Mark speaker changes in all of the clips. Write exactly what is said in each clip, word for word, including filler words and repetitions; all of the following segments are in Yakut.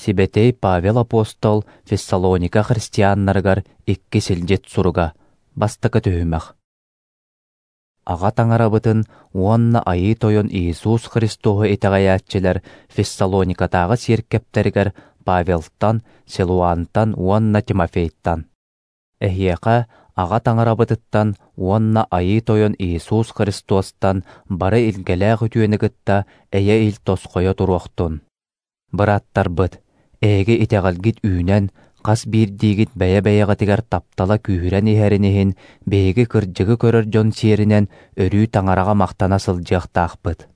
Speaker 1: Сибэтиэй Павел апостол Фессалоника христианнарыгар икки силдьит суруга. Бастакы түһүмэх. Аҕа Таҥарабытын уонна Айыы Тойон Иисус Христоһу итэҕэйээччилэр Фессалоникатааҕы сиэркэптэригэр Павелтан, Силуантан уонна Тимофейтан. Эһиэхэ Аҕа Таҥарабытыттан уонна Айыы Тойон Иисус Христостан бары илгэлээх үтүөнү кытта эйэ-ил тосхойо туруохтун. Бырааттарбыт, эһиги итэҕэлгит үүнэн, хас биирдиигит бэйэ-бэйэҕитигэр таптала күүһүрэн иһэрин иһин, биһиги кырдьыгы көрөр дьон сиэринэн өрүү Таҥараҕа махтана сылдьыахтаахпыт.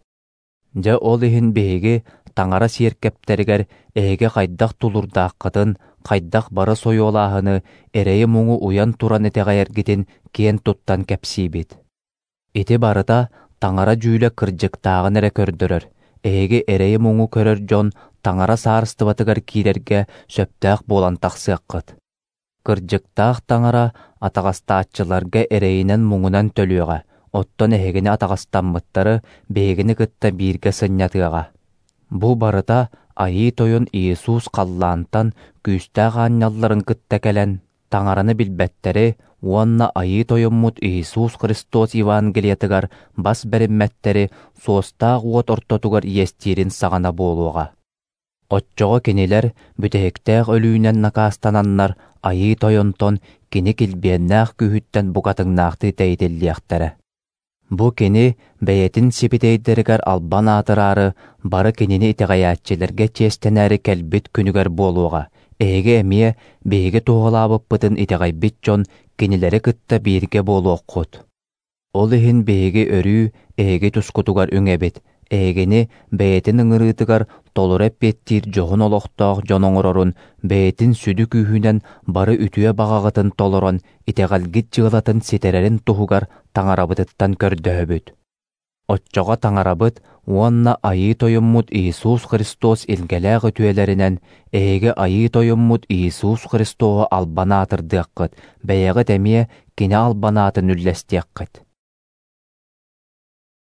Speaker 1: Дьэ ол иһин биһиги Таҥара сиэркэптэригэр эһиги хайдах тулуурдааххытын, хайдах бары сойуолааһыны, эрэйи-муҥу уйан туран итэҕэйэргитин киэн туттан кэпсиибит. Ити барыта Таҥара дьүүлэ кырдьыктааҕын эрэ көрдөрөр, эһиги эрэйи-муҥу көрөр дьон Таҥара саарыстыбатыгар киирэргэ сөптөөх буолан тахсыаххыт. Кырдьыктаах Таҥара атаҕастааччыларга эрэйинэн-муҥунан төлүөҕэ, оттон эһигини атаҕастаммыттары биһигини кытта бииргэ сынньатыаҕа. Бу барыта Айыы Тойон Иисус халлаантан күүстээх аанньалларын кытта кэлэн, Таҥараны билбэттэри уонна Айыы Тойоммут Иисус Христос Евангелиетыгар бас бэриммэттэри суостаах уот ортотугар иэстиирин саҕана буолуоҕа. Оччоҕо кинилэр бүтэһиктээх өлүүнэн накаастананнар Айыы Тойонтон кини килбиэннээх күүһүттэн букатыҥнаахтыы тэйитиллиэхтэрэ. Бу кини бэйэтин сибитэйдэригэр албан аатыраары, бары кинини итэҕэйээччилэргэ чиэстэнээри кэлбит күнүгэр буолуоҕа. Эһиги эмиэ биһиги туоһулаабыппытын итэҕэйбит дьон кинилэри кытта бииргэ буолуоххут. Ол иһин биһиги өрүү эһиги тускутугар үҥэбит, эһигини бэйэтин ыҥырыытыгар толору эппиэттиир дьоһун олохтоох дьон оҥорорун бэйэтин сүдү күүһүнэн бары үтүө баҕаҕытын толорон итэҕэлгит дьыалатын ситэрэрин туһугар Таҥарабытыттан көрдөһөбүт. Оччоҕо Таҥарабыт уонна Айыы Тойоммут Иисус Христос илгэлээх үтүөлэринэн эһиги Айыы Тойоммут Иисус Христоһу албан аатырдыаххыт, бэйэҕит эмиэ Кини албан аатын үллэстиэххит.